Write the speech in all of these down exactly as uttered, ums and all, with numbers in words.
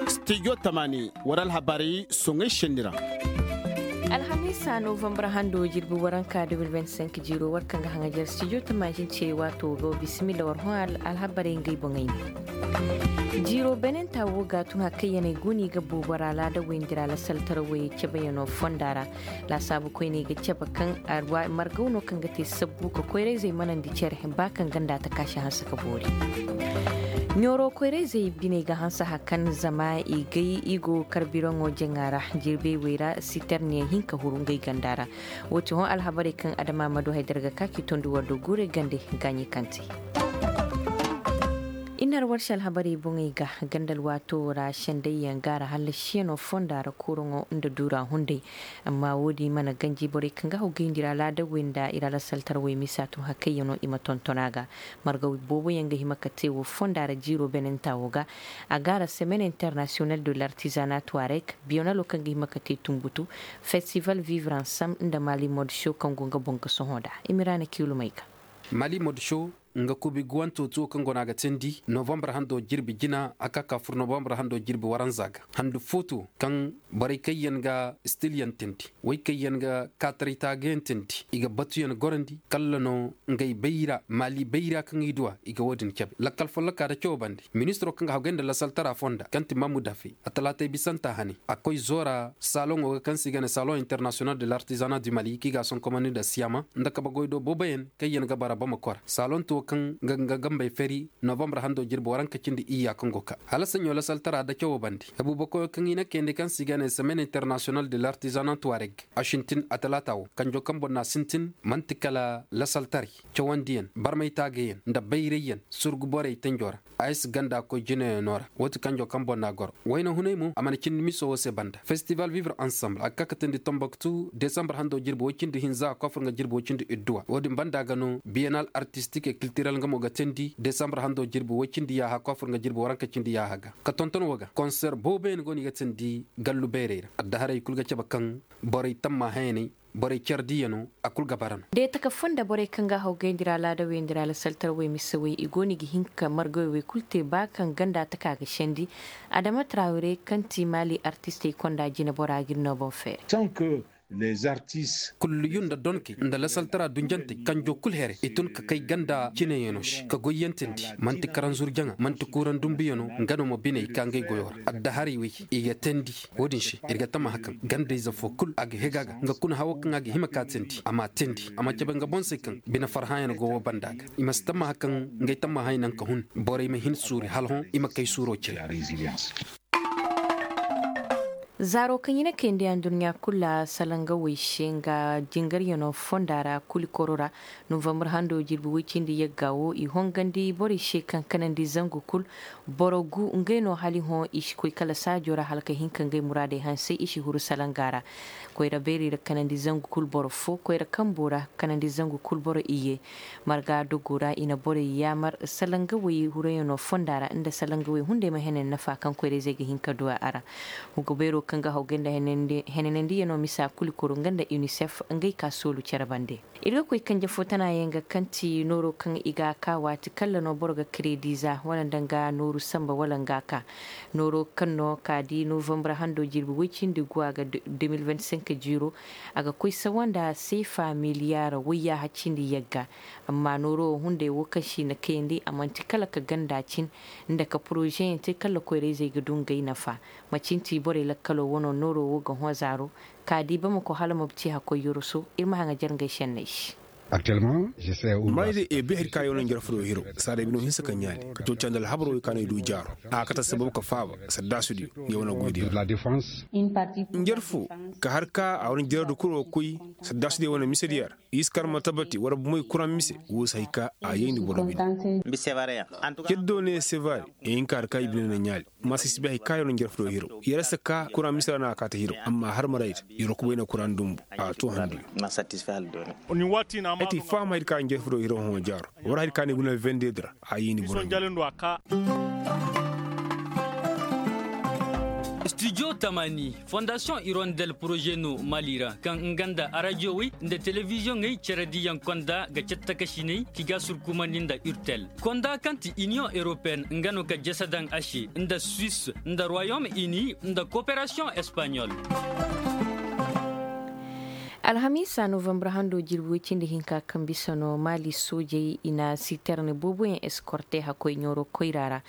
Studio tamani, wara alhabarey soŋay senni ra. Alhamiisa novambar hando jirbi waranka deux mille vingt-cinq jiiro war kaŋ ga haŋajar studio tamani ce waato ga bisimilla war hõ alhabarey ngey boŋey ne. Jiiro benenta wo ga tun hakayyaney guni ga boobo ra laada wayndi ra lasaltarawey cabayano fonda ra. Laasaabu koyney ga cabe kaŋ margaw no kaŋ ga te sabbu ka koyrayzey manandi care ba kaŋ ganda ta kaasi hanse ka boori. Ɲooro koyrayzey biney ga hanse hakan zama i gay i go karbiraŋo jaŋa ra. Jirbey wey ra siterniyaŋ hinka huru ngey ganda ra. Wo ti hõ alhabarey kaŋ adama ma du haydara ga ka k'i tondu war do guurey gande gaaɲey kaŋ te. I na arwarsi alhabarey boŋey ga gandal waato ra sendayyaŋ gaara hallasiyano fonda ra kuuraŋo nda duura hunday. Amma wo-din mana ganji borey kaŋ ga haw gayndi ra laadawey nda i ra lasaltarawey misa tun hakayyaŋo i ma tonton a ga. Marga booboyaŋ ga hima ka te wo fonda ra jiiro benenta wo ga. A gaara semaine international de l'artisanat tuareg biyonalo kaŋ ga hima ka te tunbutu, festival vivre ensemble nda mali mode show kaŋ go nga boŋ ga sohõ da. Imiraana kiilumey ga. Mali mode show nga kubi guwanto tuwo kaŋ go no a ga teendi novembre hando jirbi jina a ka ka fur novembre hando jirbi waranza ga. Handu footo kaŋ borey kaŋ yaŋ ga stil yaŋ teendi, way kaŋ yaŋ ga kaataray taagayaŋ teendi, i ga batuyaŋ gorandi kala no ngey bayra maali bayra kaŋ i du a i ga wo- din cabe lakkal folloka nda cawo bande. Ministiro kaŋ ga haggoy nda lasaltara fonda kaŋ ti mamudafe a talaatay bisanta hane a koy zoora saloŋo ga kaŋ se i ga ne salon international de l'artisanat du mali kaŋ i ga a sonkomandi nda siyama nda kabe goy do booboyaŋ kaŋ yaŋ ga bara bama kora saloŋ tuwo kaŋ ga nga gambey fari novembre hando jirbi waranka cindi iyya kaŋ go ka hala saɲo lasaltara nda cawo bande. Abubakoyo kaŋ i na kayandi kaŋ se i ga ne semaine international de l'artisanat tuareg a sintin a talaata wo kanjo kaŋ boŋ no a sintin manti kala lasaltaray cawandiyaŋ barmay taagayaŋ nda bayrayyaŋ surgu borey tanjo ra. A ye si ganda koy jinayaŋo ra wo ti kanjo kaŋ boŋ no a goro wayna hunay mo a mana cindi miso wo se banda festival vivre ensemble a ga ka ka teendi tomboktu desambre hando jirbi way cindi hinza a koy a fur nga jirbi way cindi idduwa wo- din banda ga no biyanal artistik e kiltirel nga mo ga teendi desambre hando jirbi way cindi yaaha a koy a fur nga jirbi waranka cindi yaaha ga. Ka tonton wo ga konser booboyaŋ go no i ga teendi gallu bayray ra addaharey kulu ga cabe kaŋ borey tamma hayaney borey care diyaŋo a kulu ga bara no. Da i taka fonda borey kaŋ ga a haw gayndi ra laadawey nda ra lasaltarawey misawey i go no i ga hin ka margawey wey kulu te ba kaŋ ganda taka ga sendi. Adama tarawre kaŋ ti maali artistey konda jine bora ga iri no boŋ feeri. Kulliyu nda donkey nda lasaltara dunjantey kanjo kulu here i tun ka kay ganda cineyaŋo se ka goyyaŋ teendi manti karanzur jaŋa manti kuuraŋ dumbuyaŋo nga no ma biney ka ngey goyo ra addaharey wey i ga teendi. Wo-din se iri ga tammaha kaŋ gandayze fo kulu a ga hega ga nga kuna hawo kaŋ a ga hima ka teendi a ma teendi a ma cabe nga boŋ se kaŋ bine farhãyaŋ go wo banda ga i ma si tammaha kaŋ ngey tammahay naŋ ka hun borey ma hin suuri hala hõ i ma kay suuro cire. Zaaro kaŋ i na kayandi anduɲɲa kulu ra salangawey se nga jingaryaŋo fonda ra kulu i koro ra novembre hando jirbi way cindi yagga wo i hongandi borey se kaŋ kanandi zangu kulu boro gu ngey no hala i hõ i si koy kala saajo ra hala ka hin ka ngey muraadey hansey i si huru salanga ra. Koyra beeri ra kanandi zangu kulu boro fo koyra kambo ra kanandi zangu kulu boro iyye. Marga dogo ra i na borey yaamar salangawey hurayaŋo fonda ra nda salangawey hunday ma henen nafa kaŋ koyrayzey ga hin ka du a ra. Hugo beero kaŋ ga haw ganda henenandiyaŋo misa kulu kuru nga nda unicef ngey ka soolu care bande. Iri ga koy kanje fo tana yaŋ ga kaŋ ti nooro kaŋ i ga a ka waati kalla no boro ga kredi za wala nda nga nooru samba wala nga ka nooro kaŋ no ka di novembre hando jirbi way cindi guwa ga deux mille vingt-cinq jiiro. A ga koy sawa nda seefa miliyar wayya haccindi yagga. Amma nooro wo hunday wo kaŋ si na kayandi a manti kala ka ganda cin nda ka porozeyaŋ te kala koyrayzey ga du ngey nafa. Macin ti borey lakkalo wano nooro wo ga hõ zaaro ka di bamako hala ma ci hakkoy yoroso iri ma haŋajar ngey senney se. Maayday e bay hari ka yaw no njarfo do hiro saaday bino hinsa ka ɲaali ka cawca nda alhabaro way ka no i du jaaro a ga kate sabab ka faaba saddaasudiyo ngey wane goydiyo. Njarfo ka har ka a wane jaradu kuro ga koy saddaasudiyo wane misediyo ra i si kar ma tabati wara bumey kuraŋ mise wo si hay ka a yayndi boro bine. Ceddo ne sevare i hin ka har ka i bine na ɲaali. Masa si bay hay ka yoro njarfo do hiro yara si ka kuraŋ misira no a kaata hiro amma har maray da yoro kubay na kuraŋ dumbu a to handu. Ay ti faham hay ka njarfo do hiro hõ jaaro wara hay ka ni guna vende dira a yi ni boro. Jale ndo a ka. Studio tamani, fondasiyoŋ irondel poroze no maali ra, kaŋ nga nda arajiyowey nda telebiziyoŋey care diyaŋ konda ga cattakasiney k'i ga surkumandi nda urtel. Konda kaŋ ti iniyoŋ europeyenne nga no ga jasa daŋ a se nda suwis nda ruwayom ini nda koperasiyoŋ espaɲol. Alhamiisa novambar hando jirbi way cindi hinka kaŋ bisa no maali soojey i na siterne booboyaŋ eskorte hakkoy ɲooro koyra ra.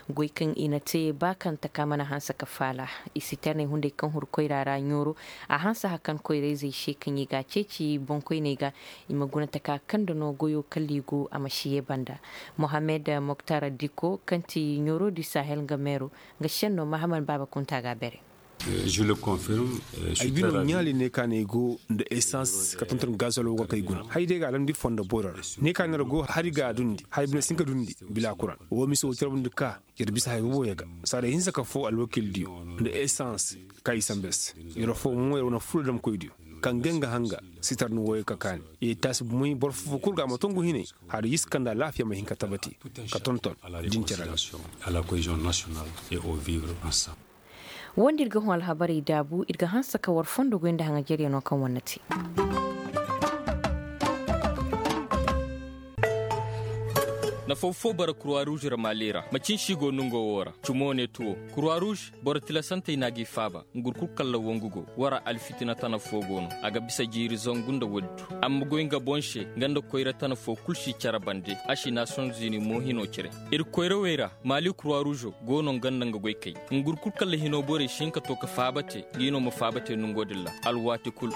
Goy kaŋ i na te ba kaŋ taka mana hanse ka faala. I siterne hunday kaŋ huru koyra ra ɲooro a hanse hakan koyrayzey se kaŋ i ga a ceeci boŋkoyney ga. I ma guna taka kaŋ da no goyo kala i go a ma si ye banda. Mohammed moktar diko kaŋ ti ɲooro di sahel nga meero nga senno mahaman baaba kunta ga bere. Ay bino ɲaali ne ka ne ay go nda esans ka tonton gazol wo ga kay guna hay day ga alandi fondo boro ra. Ne ka ne ra go hari ga dundi hari bine sinka dundi bila kuran wo miso wo tirabundi ka. Yar bisa hay bobo yaga saaday hinsa ka fo alwakil diyo nda esans ka i sambes. Yar fo mo yar wana furo dam koy diyo kaŋ gay nga hanga sitar ni woyo ka kaani. Ye taasi bumay boro fofo kulu ga ma tongu hinay hari yis kanda laafiya ma hin ka tabati ka tonton. Din care ra. Wanda iri ga hõ alhabarey daabu iri ga hanse ka war fondo goy nda haŋajeeryaŋo kaŋ wane na te. Nafa fo bara kurwa ruuz ra maali ra macin si go nongo wo ra cumo ne tuwo. Kurwa ruuz boro tilasantey no a g'i faaba. Ngurkul kalla wangu go wara alfitina tana fo go no a ga bisa jiiri zangu nda waddu. Amma goy nga boŋ se nga nda koyra tana fo kulu si care bande a si naasiyoŋ zini mo hino cire. Iri koyrawey ra maali kurwa ruuzo go no nga nda nga goykey. Ngurkul kalla hino borey si hin ka to ka faaba te. G'i no ma faaba te nango din ra alwaati kulu.